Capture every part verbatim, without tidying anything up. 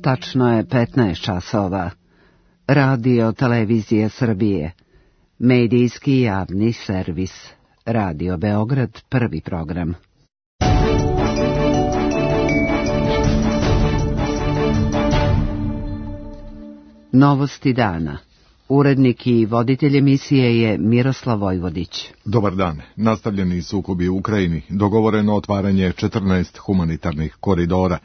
Tačno je petnaest časova. Radio Televizije Srbije. Medijski javni servis. Radio Beograd, prvi program. Novosti dana. Urednik i voditelj emisije je Miroslav Vojvodić. Dobar dan. Nastavljeni sukobi u Ukrajini. Dogovoreno otvaranje četrnaest humanitarnih koridora.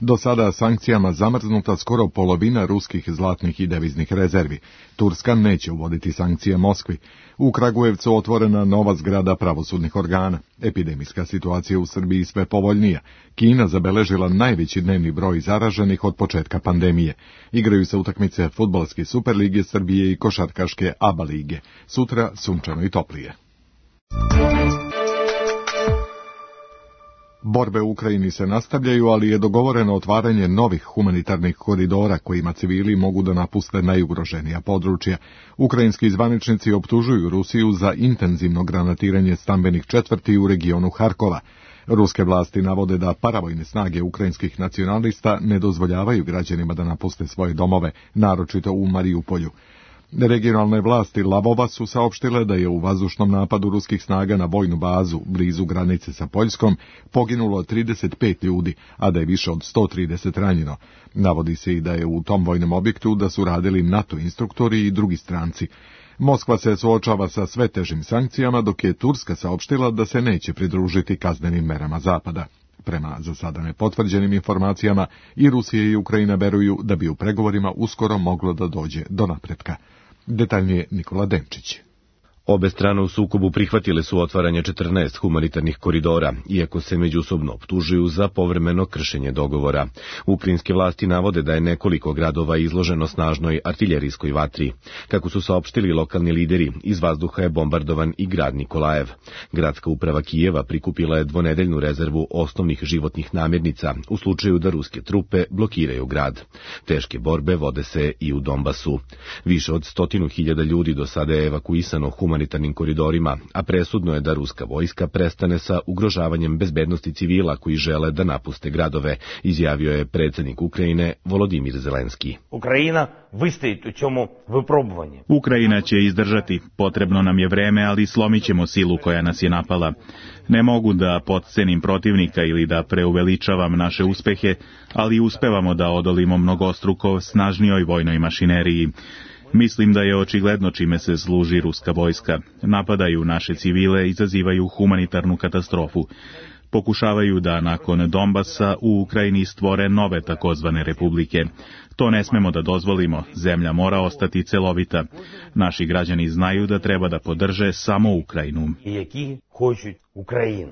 Do sada sankcijama zamrznuta skoro polovina ruskih zlatnih i deviznih rezervi. Turska neće uvoditi sankcije Moskvi. U Kragujevcu otvorena nova zgrada pravosudnih organa. Epidemijska situacija u Srbiji sve povoljnija. Kina zabeležila najveći dnevni broj zaraženih od početka pandemije. Igraju se utakmice Fudbalske Superlige Srbije i košarkaške A B A lige. Sutra sunčano i toplije. Borbe u Ukrajini se nastavljaju, ali je dogovoreno otvaranje novih humanitarnih koridora kojima civili mogu da napuste najugroženija područja. Ukrajinski zvaničnici optužuju Rusiju za intenzivno granatiranje stambenih četvrti u regionu Harkova. Ruske vlasti navode da paravojne snage ukrajinskih nacionalista ne dozvoljavaju građanima da napuste svoje domove, naročito u Marijupolju. Regionalne vlasti Lavova su saopštile da je u vazdušnom napadu ruskih snaga na vojnu bazu blizu granice sa Poljskom poginulo trideset pet ljudi, a da je više od sto trideset ranjeno. Navodi se i da je u tom vojnom objektu da su radili NATO instruktori i drugi stranci. Moskva se suočava sa sve težim sankcijama, dok je Turska saopštila da se neće pridružiti kaznenim merama Zapada. Prema za sada nepotvrđenim informacijama, i Rusija i Ukrajina veruju da bi u pregovorima uskoro moglo da dođe do napretka. Detaljnije Nikola Denčić. Obe strane u sukobu prihvatile su otvaranje četrnaest humanitarnih koridora, iako se međusobno optužuju za povremeno kršenje dogovora. Ukrajinske vlasti navode da je nekoliko gradova izloženo snažnoj artiljerijskoj vatri. Kako su saopštili lokalni lideri, iz vazduha je bombardovan i grad Nikolajev. Gradska uprava Kijeva prikupila je dvonedeljnu rezervu osnovnih životnih namirnica u slučaju da ruske trupe blokiraju grad. Teške borbe vode se i u Donbasu. Više od stotinu hiljada ljudi do sada je evakuisano humanitarnim koridorima, a presudno je da ruska vojska prestane sa ugrožavanjem bezbednosti civila koji žele da napuste gradove, izjavio je predsjednik Ukrajine Volodimir Zelenski. Ukrajina vystoji u čemu vyprobovanje. Ukrajina će izdržati, potrebno nam je vreme, ali slomit ćemo silu koja nas je napala. Ne mogu da potcenim protivnika ili da preuveličavam naše uspehe, ali uspevamo da odolimo mnogostruko snažnijoj vojnoj mašineriji. Mislim da je očigledno čime se služi ruska vojska. Napadaju naše civile, izazivaju humanitarnu katastrofu. Pokušavaju da nakon Donbasa u Ukrajini stvore nove takozvane republike. To ne smemo da dozvolimo, zemlja mora ostati celovita. Naši građani znaju da treba da podrže samo Ukrajinu.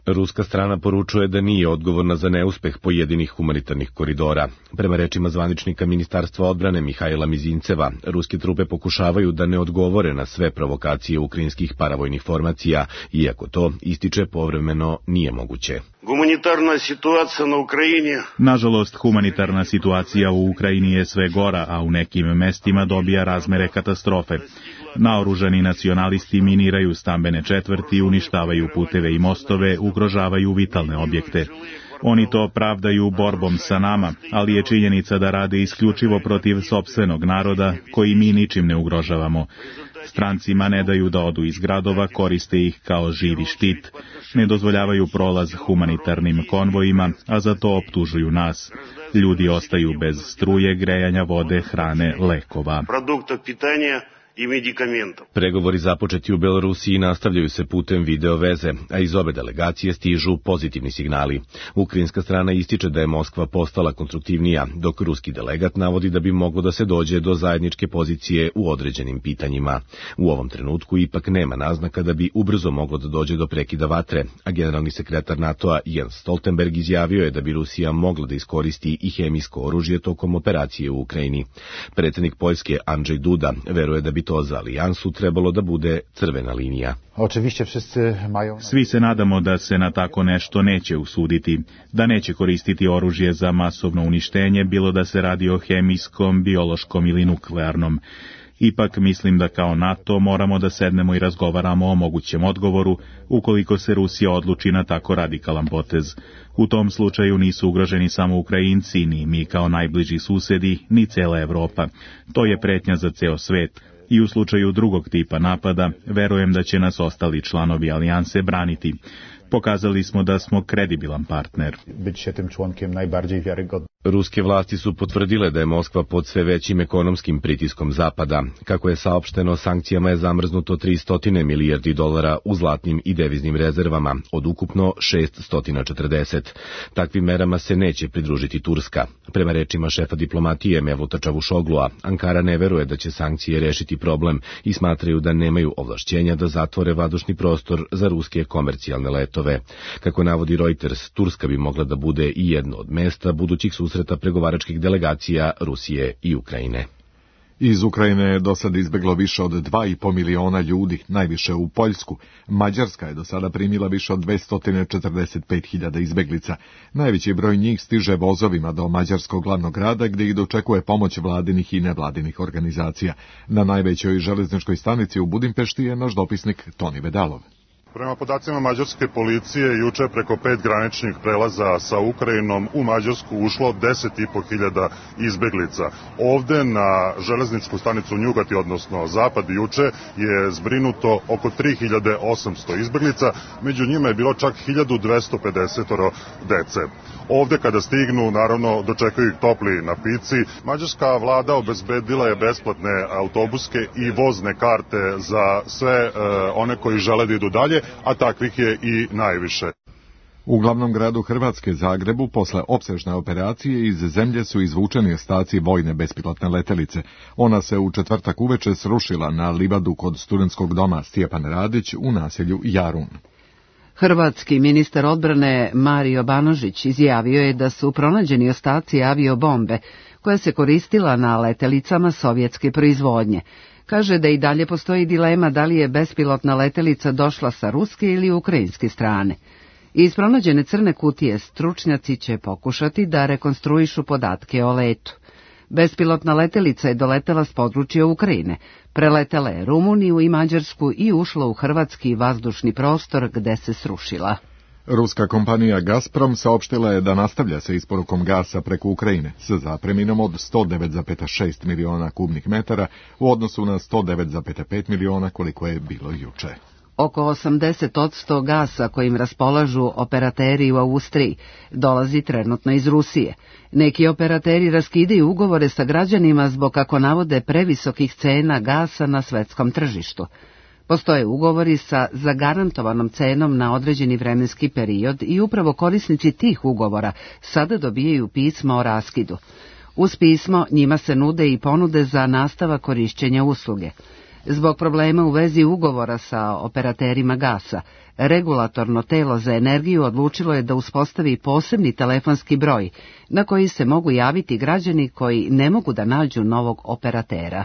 Ruska strana poručuje da nije odgovorna za neuspeh pojedinih humanitarnih koridora. Prema rečima zvaničnika Ministarstva odbrane Mihajla Mizinceva, ruske trupe pokušavaju da ne odgovore na sve provokacije ukrajinskih paravojnih formacija, iako to, ističe, povremeno nije moguće. Humanitarna situacija na Ukrajini. Nažalost, humanitarna situacija u Ukrajini je sve gora, a u nekim mestima dobija razmere katastrofe. Naoružani nacionalisti miniraju stambene četvrti, uništavaju puteve i mostove, ugrožavaju vitalne objekte. Oni to pravdaju borbom sa nama, ali je činjenica da rade isključivo protiv sopstvenog naroda, koji mi ničim ne ugrožavamo. Strancima ne daju da odu iz gradova, koriste ih kao živi štit, ne dozvoljavaju prolaz humanitarnim konvojima, a za to optužuju nas. Ljudi ostaju bez struje, grejanja vode, hrane, lekova. Produktov pitanja i medikamentov. Pregovori započeti u Belorusiji nastavljaju se putem video veze, a iz obe delegacije stižu pozitivni signali. Ukrajinska strana ističe da je Moskva postala konstruktivnija, dok ruski delegat navodi da bi moglo da se dođe do zajedničke pozicije u određenim pitanjima. U ovom trenutku ipak nema naznaka da bi ubrzo moglo da dođe do prekida vatre, a generalni sekretar NATO-a Jens Stoltenberg izjavio je da bi Rusija mogla da iskoristi i hemijsko oružje tokom operacije u Ukrajini. Predsjednik Poljske Andrzej Duda veruje da bi to za alijansu trebalo da bude crvena linija. Svi se nadamo da se na tako nešto neće usuditi, da neće koristiti oružje za masovno uništenje, bilo da se radi o hemijskom, biološkom ili nuklearnom. Ipak mislim da kao NATO moramo da sednemo i razgovaramo o mogućem odgovoru ukoliko se Rusija odluči na tako radikalan potez. U tom slučaju nisu ugroženi samo Ukrajinci, ni mi kao najbliži susedi, ni cela Evropa. To je pretnja za ceo svet. I u slučaju drugog tipa napada, verujem da će nas ostali članovi alijanse braniti. Pokazali smo da smo kredibilan partner. Biće tym członkiem najbardziej wiarygodnym. Ruske vlasti su potvrdile da je Moskva pod sve većim ekonomskim pritiskom Zapada. Kako je saopšteno, sankcijama je zamrznuto tristo milijardi dolara u zlatnim i deviznim rezervama, od ukupno šeststo četrdeset. Takvim merama se neće pridružiti Turska. Prema rečima šefa diplomatije Mevluta Čavušoglua, Ankara ne veruje da će sankcije rešiti problem i smatraju da nemaju ovlašćenja da zatvore vazdušni prostor za ruske komercijalne letove. Kako navodi Reuters, Turska bi mogla da bude i jedno od mesta budućih susreta pregovaračkih delegacija Rusije i Ukrajine. Iz Ukrajine je do sada izbeglo više od dva i po miliona ljudi, najviše u Poljsku. Mađarska je do sada primila više od dvesta četrdeset pet hiljada izbeglica. Najveći broj njih stiže vozovima do mađarskog glavnog grada, gdje ih dočekuje pomoć vladinih i nevladinih organizacija. Na najvećoj železničkoj stanici u Budimpešti je naš dopisnik Toni Vedalov. Prema podacima mađarske policije, juče preko pet graničnih prelaza sa Ukrajinom u Mađarsku ušlo deset i po hiljada izbeglica. Ovde na železničku stanicu Njugati, odnosno Zapad, juče je zbrinuto oko tri hiljade osamsto izbeglica, među njima je bilo čak hiljadu dvesta pedeset dece. Ovde kada stignu, naravno, dočekaju ih topli napici. Mađarska vlada obezbedila je besplatne autobuske i vozne karte za sve e, one koji žele da idu dalje, a takvih je i najviše. U glavnom gradu Hrvatske, Zagrebu, posle opsežne operacije iz zemlje su izvučeni ostaci vojne bespilotne letelice. Ona se u četvrtak uveče srušila na livadu kod studentskog doma Stjepan Radić u naselju Jarun. Hrvatski ministar odbrane Mario Banožić izjavio je da su pronađeni ostaci aviobombe koja se koristila na letelicama sovjetske proizvodnje. Kaže da i dalje postoji dilema da li je bespilotna letelica došla sa ruske ili ukrajinske strane. Iz pronađene crne kutije stručnjaci će pokušati da rekonstruišu podatke o letu. Bespilotna letelica je doletela s područja Ukrajine, preletela je Rumuniju i Mađarsku i ušla u hrvatski vazdušni prostor gde se srušila. Ruska kompanija Gazprom saopštila je da nastavlja sa isporukom gasa preko Ukrajine sa zapreminom od sto devet zarez šest miliona kubnih metara u odnosu na sto devet zarez pet miliona koliko je bilo juče. Oko osamdeset posto gasa kojim raspolažu operateri u Austriji dolazi trenutno iz Rusije. Neki operateri raskidaju ugovore sa građanima zbog, kako navode, previsokih cena gasa na svetskom tržištu. Postoje ugovori sa zagarantovanom cenom na određeni vremenski period i upravo korisnici tih ugovora sada dobijaju pismo o raskidu. Uz pismo njima se nude i ponude za nastavak korišćenja usluge. Zbog problema u vezi ugovora sa operaterima gasa, regulatorno telo za energiju odlučilo je da uspostavi posebni telefonski broj na koji se mogu javiti građani koji ne mogu da nađu novog operatera.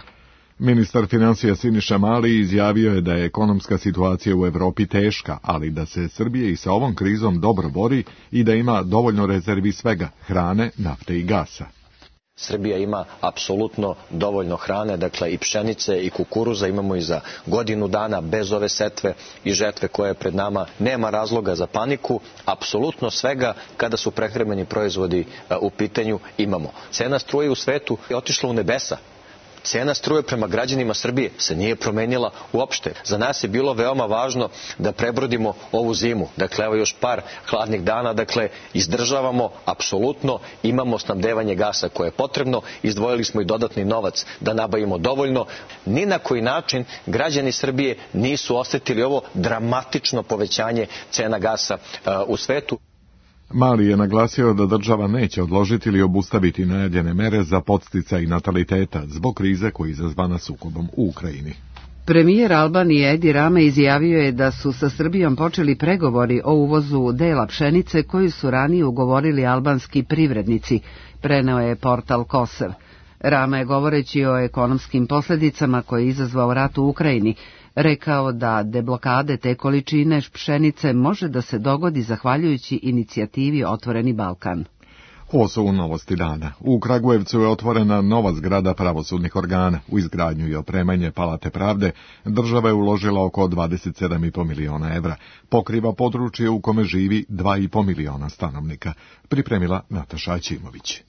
Ministar financija Siniša Mali izjavio je da je ekonomska situacija u Evropi teška, ali da se Srbija i sa ovom krizom dobro bori i da ima dovoljno rezervi svega, hrane, nafte i gasa. Srbija ima apsolutno dovoljno hrane, dakle i pšenice i kukuruza imamo i za godinu dana bez ove setve i žetve koje je pred nama. Nema razloga za paniku, apsolutno svega kada su prehrambeni proizvodi u pitanju imamo. Cena struje u svetu je otišla u nebesa. Cena struje prema građanima Srbije se nije promenila uopšte. Za nas je bilo veoma važno da prebrodimo ovu zimu. Dakle, evo još par hladnih dana, dakle, izdržavamo apsolutno, imamo snabdevanje gasa koje je potrebno, izdvojili smo i dodatni novac da nabavimo dovoljno. Ni na koji način građani Srbije nisu osetili ovo dramatično povećanje cena gasa uh, u svetu. Mali je naglasio da država neće odložiti ili obustaviti najavljene mere za podsticaj nataliteta zbog krize koja je izazvana sukobom u Ukrajini. Premijer Albanije Edi Rama izjavio je da su sa Srbijom počeli pregovori o uvozu dela pšenice koju su ranije ugovorili albanski privrednici, preneo je portal Kosev. Rama je, govoreći o ekonomskim posljedicama koje je izazvao rat u Ukrajini, rekao da deblokade te količine pšenice može da se dogodi zahvaljujući inicijativi Otvoreni Balkan. Ovo su novosti dana. U Kragujevcu je otvorena nova zgrada pravosudnih organa. U izgradnju i opremanje Palate pravde država je uložila oko dvadeset sedam i po miliona evra. Pokriva područje u kome živi dva i po miliona stanovnika. Pripremila Nataša Aćimović.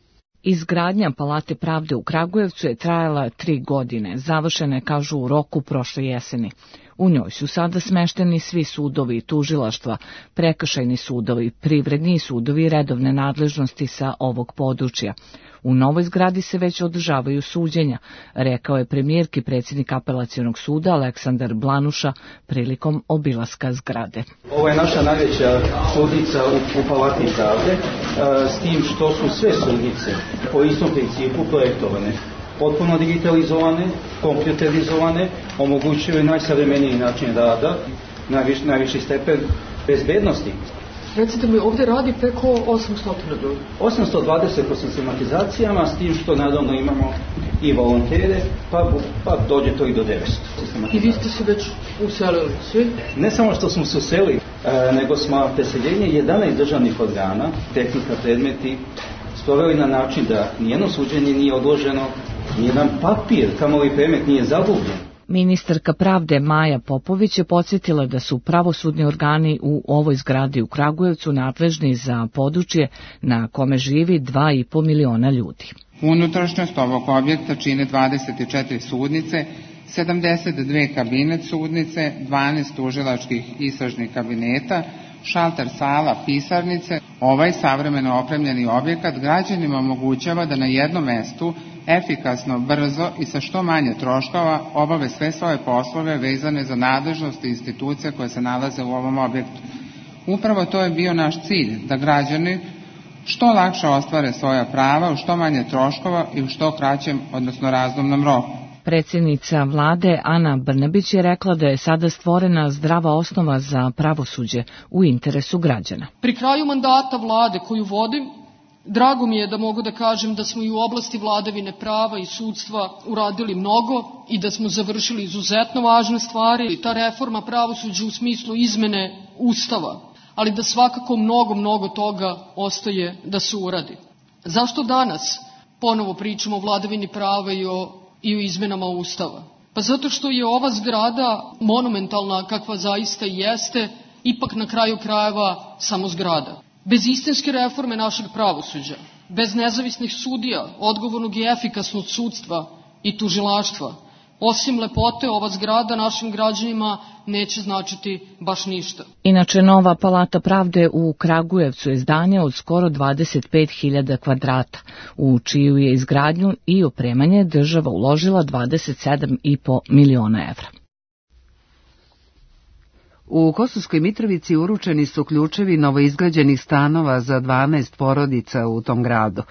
Izgradnja Palate pravde u Kragujevcu je trajala tri godine. Završena je, kažu, u roku prošle jeseni. U njoj su sada smešteni svi sudovi i tužilaštva, prekršajni sudovi, privredni i sudovi redovne nadležnosti sa ovog područja. U novoj zgradi se već održavaju suđenja, rekao je premijerki predsjednik Apelacionog suda Aleksandar Blanuša prilikom obilaska zgrade. Ovo je naša najveća sudnica u, u Palati pravde, s tim što su sve sudnice po istom principu projektovane. Potpuno digitalizovane, kompjuterizovane, omogućuju najsavremeniji način rada, najviš, najviši stepen bezbednosti. Recite mi, ovdje radi preko osamsto ljudi. osamsto dvadeset po sistematizacijama, s tim što naravno imamo i volontere, pa, pa dođe to i do devetsto. I vi ste se već uselili svi? Ne samo što smo se uselili, e, nego smo preseljenje jedanaest državnih organa, tehnika, predmeti, sproveli na način da nijedno suđenje nije odloženo, nijedan papir, kamoli predmet nije zagubljen. Ministarka pravde Maja Popović je podsjetila da su pravosudni organi u ovoj zgradi u Kragujevcu nadležni za područje na kome živi dva i po miliona ljudi. Unutrašnjost ovog objekta čine dvadeset četiri sudnice, sedamdeset dve kabinet sudnice, dvanaest tužilačkih istražnih kabineta, šalter sala, pisarnice. Ovaj savremeno opremljeni objekat građanima omogućava da na jednom mestu efikasno, brzo i sa što manje troškova obave sve svoje poslove vezane za nadležnost institucija koje se nalaze u ovom objektu. Upravo to je bio naš cilj, da građani što lakše ostvare svoja prava u što manje troškova i u što kraćem, odnosno razumnom roku. Predsjednica vlade Ana Brnabić je rekla da je sada stvorena zdrava osnova za pravosuđe u interesu građana. Pri kraju mandata vlade koju vodim, drago mi je da mogu da kažem da smo i u oblasti vladavine prava i sudstva uradili mnogo i da smo završili izuzetno važne stvari. Ta reforma pravosuđa u smislu izmene Ustava, ali da svakako mnogo, mnogo toga ostaje da se uradi. Zašto danas ponovo pričamo o vladavini prava i o, i o izmenama Ustava? Pa zato što je ova zgrada monumentalna kakva zaista jeste, ipak na kraju krajeva samo zgrada. Bez istinske reforme našeg pravosuđa, bez nezavisnih sudija, odgovornog i efikasnog sudstva i tužilaštva, osim lepote ova zgrada našim građanima neće značiti baš ništa. Inače, nova Palata pravde u Kragujevcu je zdanje od skoro dvadeset pet hiljada kvadrata, u čiju je izgradnju i opremanje država uložila dvadeset sedam i po miliona evra. U Kosovskoj Mitrovici uručeni su ključevi novoizgrađenih stanova za dvanaest porodica u tom gradu.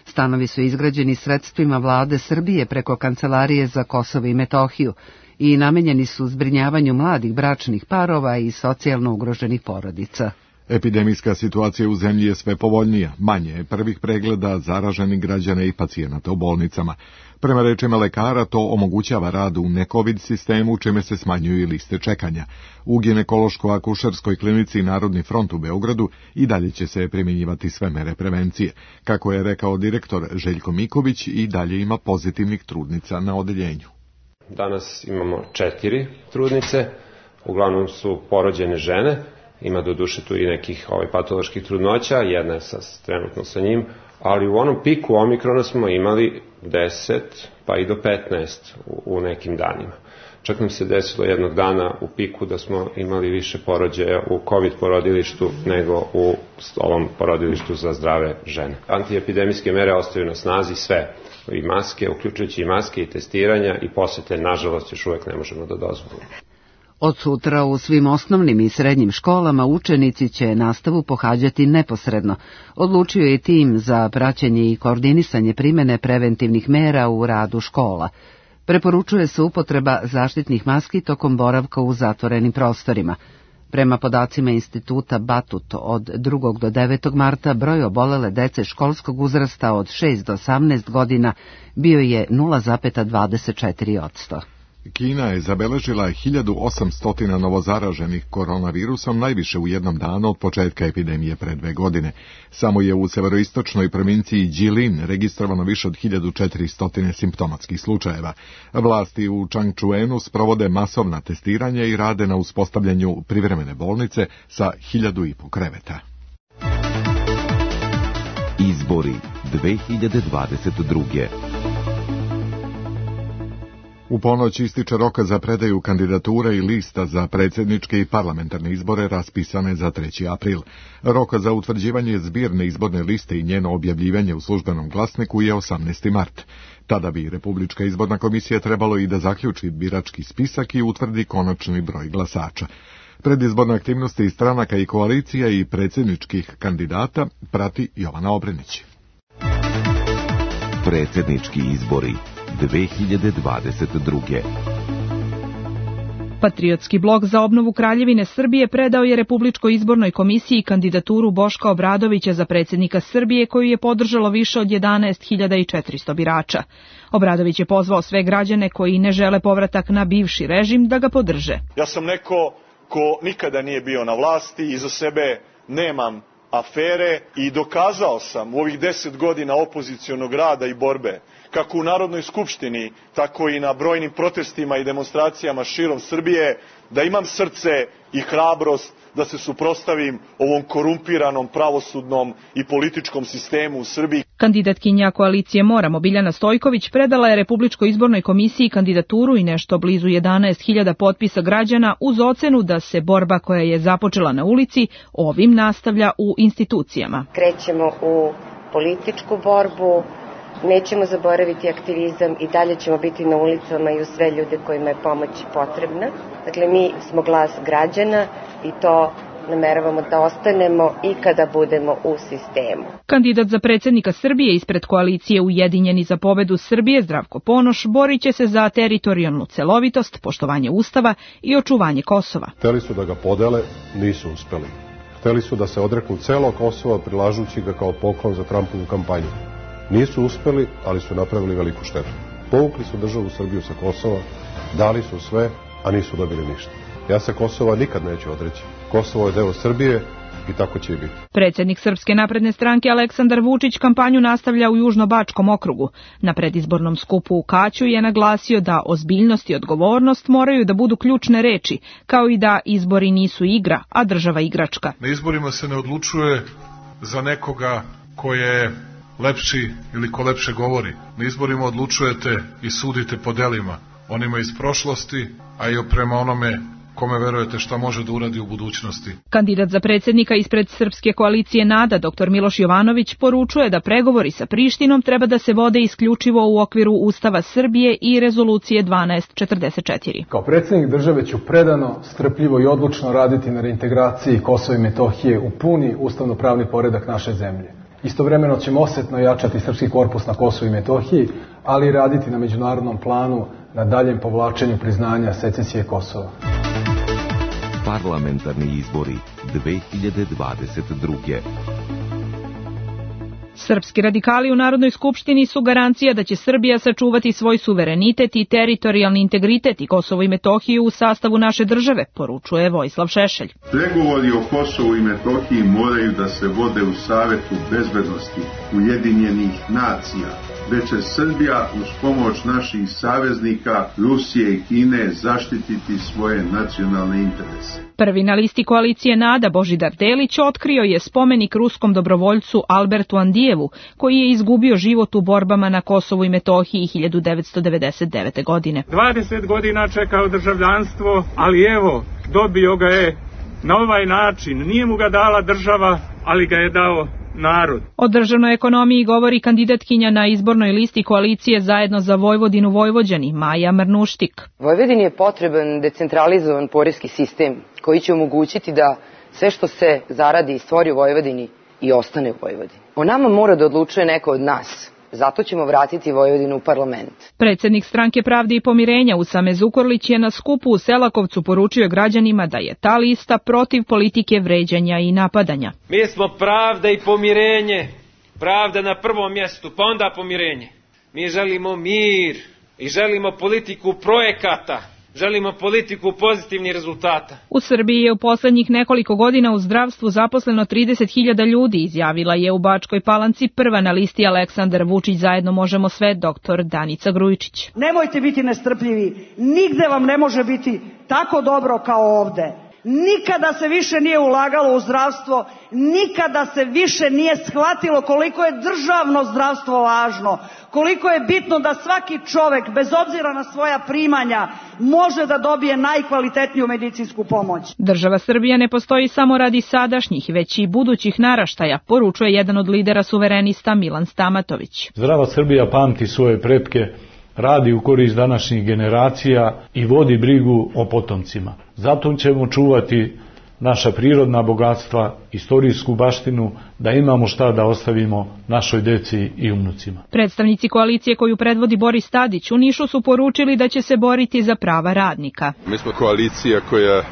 Stanovi su izgrađeni sredstvima vlade Srbije preko Kancelarije za Kosovo i Metohiju i namenjeni su zbrinjavanju mladih bračnih parova i socijalno ugroženih porodica. Epidemijska situacija u zemlji je sve povoljnija, manje je prvih pregleda zaraženih građana i pacijenata u bolnicama. Prema rečima lekara, to omogućava rad u ne-covid sistemu, čime se smanjuju i liste čekanja. U ginekološko-akušerskoj klinici Narodni front u Beogradu i dalje će se primjenjivati sve mere prevencije. Kako je rekao direktor Željko Miković, i dalje ima pozitivnih trudnica na odeljenju. Danas imamo četiri trudnice, uglavnom su porođene žene. Ima do duše tu i nekih ovaj, patoloških trudnoća, jedna je sa, trenutno sa njim, ali u onom piku omikrona smo imali deset pa i do petnaest u, u nekim danima. Čak nam se desilo jednog dana u piku da smo imali više porođaja u COVID porodilištu nego u ovom porodilištu za zdrave žene. Antiepidemijske mere ostaju na snazi sve, i maske, uključujući i maske i testiranja, i posete, nažalost, još uvek ne možemo da dozvolimo. Od sutra u svim osnovnim i srednjim školama učenici će nastavu pohađati neposredno. Odlučio je tim za praćenje i koordinisanje primene preventivnih mera u radu škola. Preporučuje se upotreba zaštitnih maski tokom boravka u zatvorenim prostorima. Prema podacima instituta Batut, od drugog do devetog marta broj obolele dece školskog uzrasta od šest do osamnaest godina bio je nula zarez dvadeset četiri posto. Kina je zabeležila hiljadu osamsto novozaraženih koronavirusom, najviše u jednom danu od početka epidemije pre dve godine. Samo je u severoistočnoj provinciji Jilin registrovano više od hiljadu četiristo simptomatskih slučajeva. Vlasti u Changchuenu sprovode masovna testiranja i rade na uspostavljanju privremene bolnice sa hiljadu i po kreveta. Izbori dve hiljade dvadeset druge. U ponoć ističe roka za predaju kandidature i lista za predsjedničke i parlamentarne izbore raspisane za treći april. Roka za utvrđivanje zbirne izborne liste i njeno objavljivanje u službenom glasniku je osamnaesti mart. Tada bi Republička izborna komisija trebalo i da zaključi birački spisak i utvrdi konačni broj glasača. Predizborne aktivnosti stranaka i koalicija i predsjedničkih kandidata prati Jovana Obrenić. Predsjednički izbori dve hiljade dvadeset druge. Patriotski blok za obnovu Kraljevine Srbije predao je Republičkoj izbornoj komisiji kandidaturu Boška Obradovića za predsjednika Srbije, koju je podržalo više od jedanaest hiljada četiristo birača. Obradović je pozvao sve građane koji ne žele povratak na bivši režim da ga podrže. Ja sam neko ko nikada nije bio na vlasti, iza sebe nemam afere i dokazao sam u ovih deset godina opozicionog rada i borbe, kako u Narodnoj skupštini, tako i na brojnim protestima i demonstracijama širom Srbije, da imam srce i hrabrost da se suprotstavim ovom korumpiranom pravosudnom i političkom sistemu u Srbiji. Kandidatkinja koalicije Moramo Biljana Stojković predala je Republičkoj izbornoj komisiji kandidaturu i nešto blizu jedanaest hiljada potpisa građana uz ocenu da se borba koja je započela na ulici ovim nastavlja u institucijama. Krećemo u političku borbu, nećemo zaboraviti aktivizam i dalje ćemo biti na ulicama i uz sve ljude kojima je pomoć potrebna. Dakle, mi smo glas građana i to nameravamo da ostanemo i kada budemo u sistemu. Kandidat za predsjednika Srbije ispred koalicije Ujedinjeni za pobedu Srbije Zdravko Ponoš borit će se za teritorijalnu celovitost, poštovanje Ustava i očuvanje Kosova. Hteli su da ga podele, nisu uspeli. Hteli su da se odreknu celog Kosova prilažući ga kao poklon za Trumpovu kampanju. Nisu uspeli, ali su napravili veliku štetu. Povukli su državu Srbiju sa Kosova, dali su sve, a nisu dobili ništa. Ja se Kosova nikad neću odreći. Kosovo je deo Srbije i tako će i biti. Predsjednik Srpske napredne stranke Aleksandar Vučić kampanju nastavlja u Južnobačkom okrugu. Na predizbornom skupu u Kaću je naglasio da ozbiljnost i odgovornost moraju da budu ključne reči, kao i da izbori nisu igra, a država igračka. Na izborima se ne odlučuje za nekoga ko je lepši ili ko lepše govori. Na izborima odlučujete i sudite po delima, onima iz prošlosti, a i prema onome kome verujete šta može da uradi u budućnosti. Kandidat za predsjednika ispred Srpske koalicije NADA, dr Miloš Jovanović, poručuje da pregovori sa Prištinom treba da se vode isključivo u okviru Ustava Srbije i Rezolucije dvanaest četrdeset četiri. Kao predsjednik države ću predano, strpljivo i odlučno raditi na reintegraciji Kosova i Metohije u puni ustavno-pravni poredak naše zemlje. Istovremeno ćemo osetno jačati srpski korpus na Kosovu i Metohiji, ali i raditi na međunarodnom planu na daljem povlačenju priznanja secesije Kosova. Parlamentarni izbori dve hiljade dvadeset druge. Srpski radikali u Narodnoj skupštini su garancija da će Srbija sačuvati svoj suverenitet i teritorijalni integritet i Kosovo i Metohiju u sastavu naše države, poručuje Vojislav Šešelj. Pregovori o Kosovu i Metohiji moraju da se vode u Savetu bezbednosti Ujedinjenih nacija, gde će Srbija uz pomoć naših saveznika Rusije i Kine zaštititi svoje nacionalne interese. Prvi na listi koalicije NADA Božidar Delić otkrio je spomenik ruskom dobrovoljcu Albertu Andijevu, koji je izgubio život u borbama na Kosovu i Metohiji hiljadu devetsto devedeset devete. godine. dvadeset godina čekao državljanstvo, ali evo, dobio ga je na ovaj način. Nije mu ga dala država, ali ga je dao narod. O državnoj ekonomiji govori kandidatkinja na izbornoj listi koalicije Zajedno za Vojvodinu Vojvođani, Maja Mrnuštik. Vojvodini je potreban decentralizovan poreski sistem koji će omogućiti da sve što se zaradi i stvori u Vojvodini i ostane u Vojvodini. O nama mora da odlučuje neko od nas. Zato ćemo vratiti Vojvodinu u parlament. Predsjednik Stranke pravde i pomirenja Usame Zukorlić je na skupu u Selakovcu poručio građanima da je ta lista protiv politike vređanja i napadanja. Mi smo pravda i pomirenje. Pravda na prvom mjestu, pa onda pomirenje. Mi želimo mir, i želimo politiku projekata, želimo politiku pozitivnih rezultata. U Srbiji je u poslednjih nekoliko godina u zdravstvu zaposleno trideset hiljada ljudi, izjavila je u Bačkoj Palanci prva na listi Aleksandar Vučić Zajedno možemo sve doktor Danica Grujičić. Nemojte biti nestrpljivi, nigde vam ne može biti tako dobro kao ovde. Nikada se više nije ulagalo u zdravstvo, nikada se više nije shvatilo koliko je državno zdravstvo važno, koliko je bitno da svaki čovek, bez obzira na svoja primanja, može da dobije najkvalitetniju medicinsku pomoć. Država Srbija ne postoji samo radi sadašnjih, već i budućih naraštaja, poručuje jedan od lidera suverenista Milan Stamatović. Zdrava Srbija pamti svoje pretke, radi u korist današnjih generacija i vodi brigu o potomcima. Zato ćemo čuvati naša prirodna bogatstva, istorijsku baštinu, da imamo šta da ostavimo našoj deci i unucima. Predstavnici koalicije koju predvodi Boris Tadić u Nišu su poručili da će se boriti za prava radnika. Mi smo koalicija koja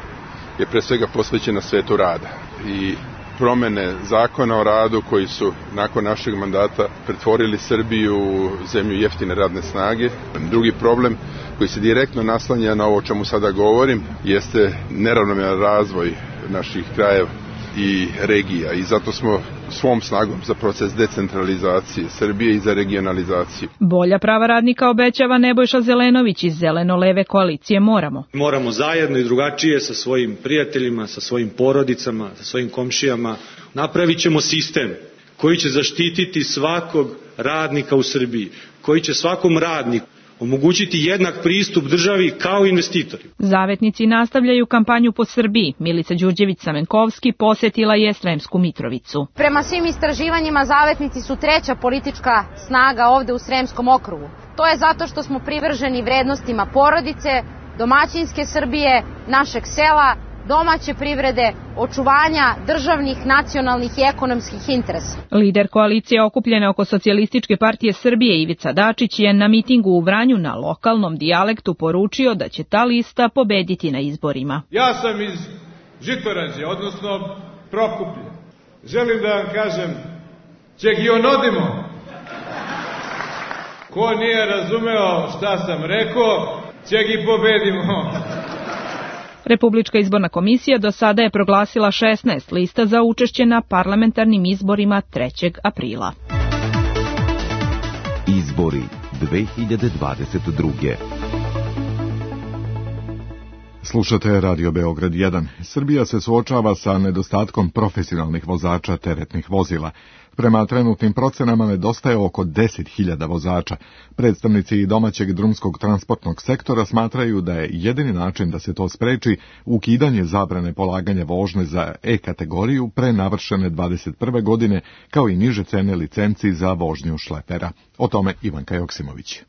je pre svega posvećena svetu rada i promene zakona o radu koji su nakon našeg mandata pretvorili Srbiju u zemlju jeftine radne snage. Drugi problem koji se direktno naslanja na ovo o čemu sada govorim jeste neravnomeran razvoj naših krajeva i regija i zato smo svom snagom za proces decentralizacije Srbije i za regionalizaciju. Bolja prava radnika obećava Nebojša Zelenović iz Zeleno-leve koalicije Moramo. Moramo zajedno i drugačije sa svojim prijateljima, sa svojim porodicama, sa svojim komšijama. Napravit ćemo sistem koji će zaštititi svakog radnika u Srbiji, koji će svakom radniku omogućiti jednak pristup državi kao investitori. Zavetnici nastavljaju kampanju po Srbiji. Milica Đurđević-Samenkovski posetila je Sremsku Mitrovicu. Prema svim istraživanjima zavetnici su treća politička snaga ovde u Sremskom okrugu. To je zato što smo privrženi vrednostima porodice, domaćinske Srbije, našeg sela, domaće privrede, očuvanja državnih, nacionalnih i ekonomskih interesa. Lider koalicije okupljene oko Socijalističke partije Srbije Ivica Dačić je na mitingu u Vranju na lokalnom dijalektu poručio da će ta lista pobediti na izborima. Ja sam iz Žitorađe, odnosno Prokuplje. Želim da vam kažem, ćegionodimo. Ko nije razumeo šta sam rekao, ćegi pobedimo. Republička izborna komisija do sada je proglasila šesnaest lista za učešće na parlamentarnim izborima trećeg aprila. Izbori dve hiljade dvadeset druge. Slušate Radio Beograd jedan. Srbija se suočava sa nedostatkom profesionalnih vozača teretnih vozila. Prema trenutnim procenama nedostaje oko deset hiljada vozača. Predstavnici domaćeg drumskog transportnog sektora smatraju da je jedini način da se to spreči ukidanje zabrane polaganja vožnje za E kategoriju pre navršene dvadeset prve godine, kao i niže cene licenci za vožnju šlepera. O tome Ivanka Joksimović.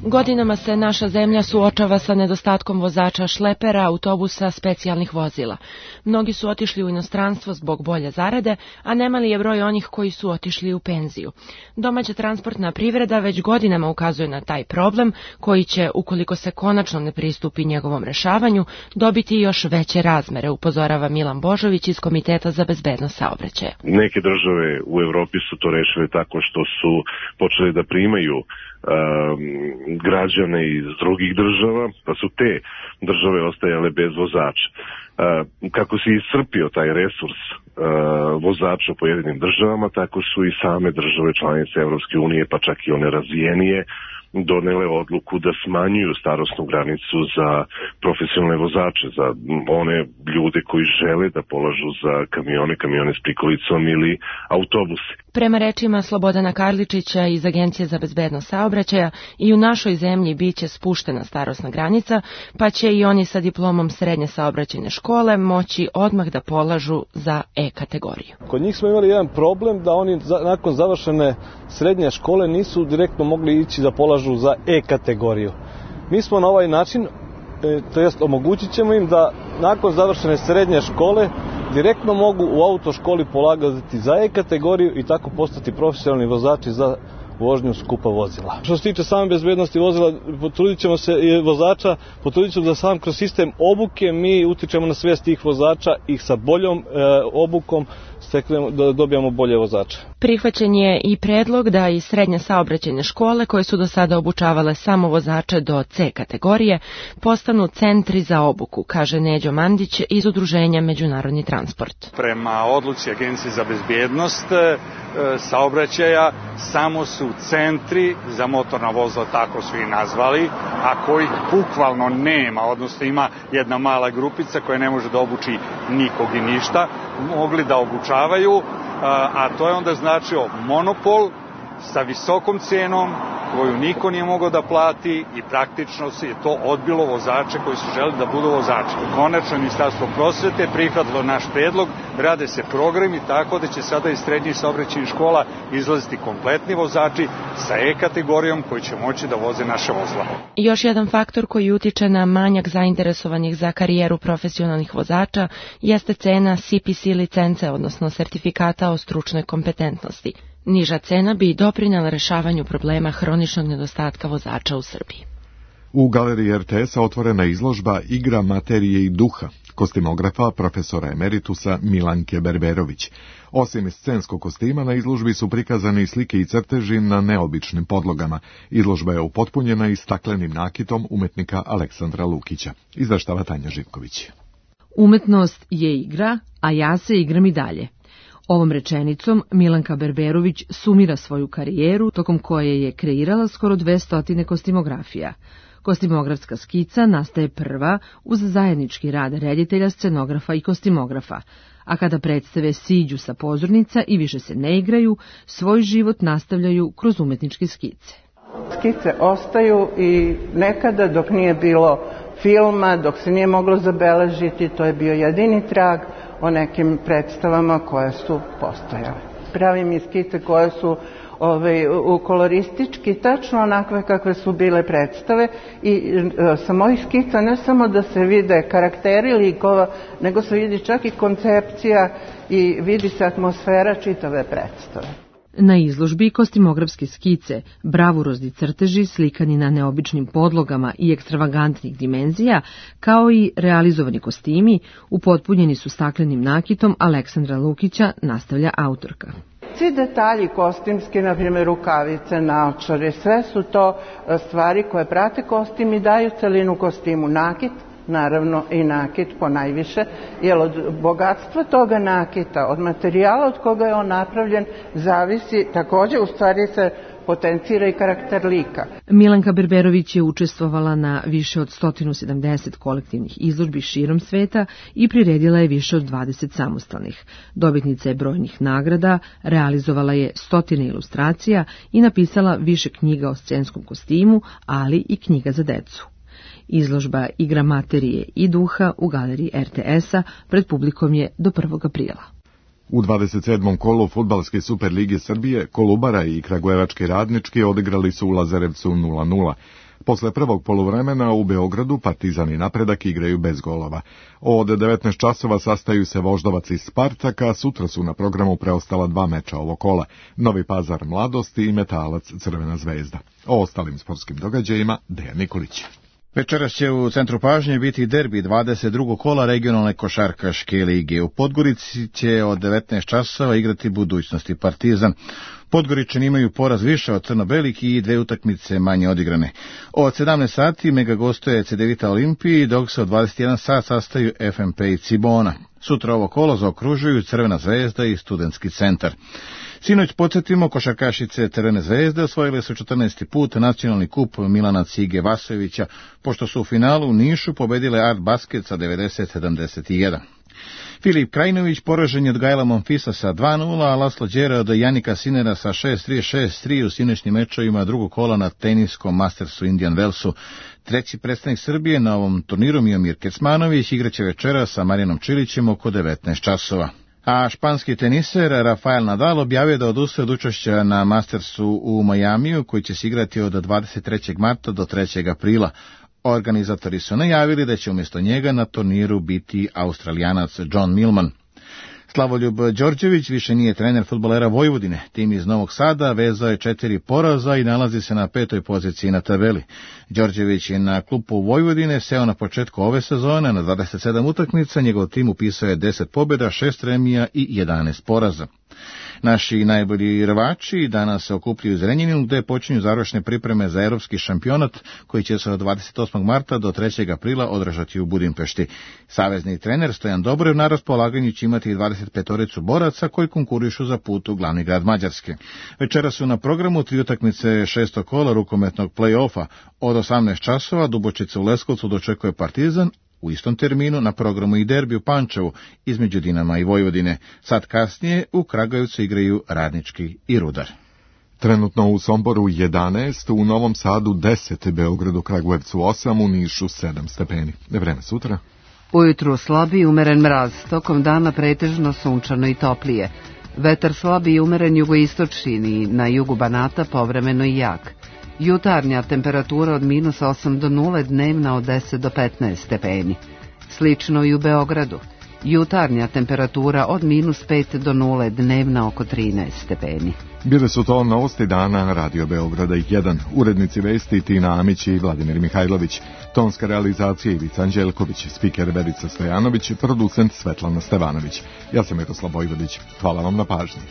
Godinama se naša zemlja suočava sa nedostatkom vozača šlepera, autobusa, specijalnih vozila. Mnogi su otišli u inostranstvo zbog bolje zarade, a nemali je broj onih koji su otišli u penziju. Domaća transportna privreda već godinama ukazuje na taj problem, koji će, ukoliko se konačno ne pristupi njegovom rešavanju, dobiti još veće razmere, upozorava Milan Božović iz Komiteta za bezbednost saobraćaja. Neke države u Evropi su to rešile tako što su počeli da primaju građane iz drugih država, pa su te države ostajale bez vozača. Kako se iscrpio taj resurs vozača u pojedinim državama, tako su i same države članice Evropske unije, pa čak i one razvijenije, donele odluku da smanjuju starosnu granicu za profesionalne vozače, za one ljude koji žele da polažu za kamione, kamione s prikolicom ili autobuse. Prema rečima Slobodana Karličića iz Agencije za bezbednost saobraćaja, i u našoj zemlji biće spuštena starosna granica, pa će i oni sa diplomom srednje saobraćajne škole moći odmah da polažu za E kategoriju. Kod njih smo imali jedan problem da oni nakon završene srednje škole nisu direktno mogli ići da polažu za E kategoriju. Mi smo na ovaj način, to jest omogućit ćemo im da nakon završene srednje škole direktno mogu u autoškoli polagati za E kategoriju i tako postati profesionalni vozači za vožnju skupa vozila. Što se tiče same bezbednosti vozila, potrudit ćemo se i vozača, potrudit ćemo da sam kroz sistem obuke mi utičemo na svijest tih vozača i sa boljom e, obukom steknemo, da dobijamo bolje vozače. Prihvaćen je i predlog da i srednje saobraćajne škole koje su do sada obučavale samo vozače do C kategorije postanu centri za obuku, kaže Neđo Mandić iz Udruženja Međunarodni transport. Prema odluci Agencije za bezbjednost e, saobraćaja samo su centri za motorna vozila, tako su i nazvali, a kojih bukvalno nema, odnosno ima jedna mala grupica koja ne može da obuči nikog i ništa, mogli da obučavaju, a to je onda značio monopol sa visokom cenom koju niko nije mogao da plati i praktično se je to odbilo vozače koji su želeli da budu vozači. Konačno Ministarstvo prosvete prihvatilo naš predlog, rade se programi tako da će sada iz srednjih saobraćajnih škola izlaziti kompletni vozači sa E kategorijom koji će moći da voze naše vozila. Još jedan faktor koji utiče na manjak zainteresovanih za karijeru profesionalnih vozača jeste cena C P C licence, odnosno sertifikata o stručnoj kompetentnosti. Niža cena bi doprinela rešavanju problema hroničnog nedostatka vozača u Srbiji. U galeriji R T S-a otvorena izložba Igra materije i duha kostimografa profesora emeritusa Milanke Berberović. Osim scenskog kostima, na izložbi su prikazane slike i crteži na neobičnim podlogama. Izložba je upotpunjena i staklenim nakitom umetnika Aleksandra Lukića. Izveštava Tanja Živković. Umetnost je igra, a ja se igram i dalje. Ovom rečenicom Milanka Berberović sumira svoju karijeru, tokom koje je kreirala skoro dvesta kostimografija. Kostimografska skica nastaje prva uz zajednički rad reditelja, scenografa i kostimografa, a kada predstave siđu sa pozornica i više se ne igraju, svoj život nastavljaju kroz umetničke skice. Skice ostaju i nekada dok nije bilo filma, dok se nije moglo zabeležiti, to je bio jedini trag o nekim predstavama koje su postojale. Pravim i skice koje su ovaj, koloristički, tačno onakve kakve su bile predstave i e, sa mojih skica ne samo da se vide karakteri likova, nego se vidi čak i koncepcija i vidi se atmosfera čitave predstave. Na izložbi kostimografske skice, bravurozni crteži slikani na neobičnim podlogama i ekstravagantnih dimenzija, kao i realizovani kostimi, upotpunjeni su staklenim nakitom Aleksandra Lukića, nastavlja autorka. Svi detalji kostimski, na primjer rukavice, naočare, sve su to stvari koje prate kostim i daju celinu kostimu. Nakit, naravno i nakit po najviše, jer od bogatstva toga nakita, od materijala od koga je on napravljen, zavisi također, u stvari se potencira i karakter lika. Milanka Berberović je učestvovala na više od sto sedamdeset kolektivnih izložbi širom sveta i priredila je više od dvadeset samostalnih. Dobitnica je brojnih nagrada, realizovala je stotine ilustracija i napisala više knjiga o scenskom kostimu, ali i knjiga za decu. Izložba Igra materije i duha u galeriji R T S-a pred publikom je do prvog aprila. U dvadeset sedmom kolu Fudbalske Superlige Srbije Kolubara i Kragujevački Radnički odigrali su u Lazarevcu nula nula. Posle prvog poluvremena u Beogradu Partizan i Napredak igraju bez golova. Od devetnaest časova sastaju se Voždovac i Spartak, a sutra su na programu preostala dva meča ovog kola. Novi Pazar Mladost i Metalac Crvena zvezda. O ostalim sportskim događajima Dejan Nikolić. Večeras će u centru pažnje biti derbi dvadeset drugog kola regionalne košarkaške lige. U Podgorici će od devetnaest časova igrati Budućnost i Partizan. Podgoričani imaju poraz više od crno-belih i dve utakmice manje odigrane. Od sedamnaest sati mega gostuje Cedevita Olimpiji, dok se od dvadeset jedan sat sastaju F M P i Cibona. Sutra ovo kolo zaokružuju Crvena zvezda i Studentski centar. Sinoć podsjetimo, košarkašice Crvene zvezde osvojile su četrnaesti put nacionalni kup Milana Cige Vasojevića, pošto su u finalu u Nišu pobedile Art Basket sa devedeset sedamdeset jedan. Filip Krajinović poražen je od Gajla Monfisa sa dva nula, a Laslo Đera od Janika Sinera sa šest tri šest tri u sinoćnim mečovima drugog kola na teniskom Mastersu Indian Wellsu. Treći predstavnik Srbije na ovom turniru Miomir Kecmanović igraće večera sa Marijanom Čilićem oko devetnaest časova. A španski teniser Rafael Nadal objavio da odustaje od učešća na Mastersu u Majamiju, koji će se igrati od dvadeset trećeg marta do trećeg aprila. Organizatori su najavili da će umjesto njega na turniru biti Australijanac John Millman. Slavoljub Đorđević više nije trener fudbalera Vojvodine. Tim iz Novog Sada vezao je četiri poraza i nalazi se na petoj poziciji na tabeli. Đorđević je na klupu Vojvodine seo na početku ove sezone na dvadeset sedam utakmica, njegov tim upisao je deset pobjeda, šest remija i jedanaest poraza. Naši najbolji rvači danas se okupljaju u Zrenjaninu gde počinju završne pripreme za evropski šampionat koji će se od dvadeset osmog marta do trećeg aprila održati u Budimpešti. Savezni trener Stojan Dobrev na raspolaganju će imati dvadeset petoricu boraca koji konkurišu za put u glavni grad Mađarske. Večera su na programu tri utakmice šestog kola rukometnog play-offa. Od osamnaest časova Dubočica u Leskovcu dočekuje Partizan. U istom terminu na programu i derbi u Pančevu između Dinama i Vojvodine. Sad kasnije u Kragujevcu igraju Radnički i Rudar. Trenutno u Somboru jedanaest, u Novom Sadu deset, Beogradu, Kragujevcu osam, u Nišu sedam stepeni. Vreme sutra. Ujutru slabi i umeren mraz, tokom dana pretežno sunčano i toplije. Vetar slabi i umeren jugoistočni, na jugu Banata povremeno i jak. Jutarnja temperatura od minus osam do nule, dnevna od deset do petnaest stepeni. Slično i u Beogradu. Jutarnja temperatura od minus pet do nule, dnevna oko trinaest stepeni. Bile su to novosti dana Radio Beograda jedan. Urednici vesti Tina Amić i Vladimir Mihajlović. Tonska realizacija Ivica Anđelković, spiker Verica Stojanović, producent Svetlana Stevanović. Ja sam Miroslav Vojvodić. Hvala vam na pažnji.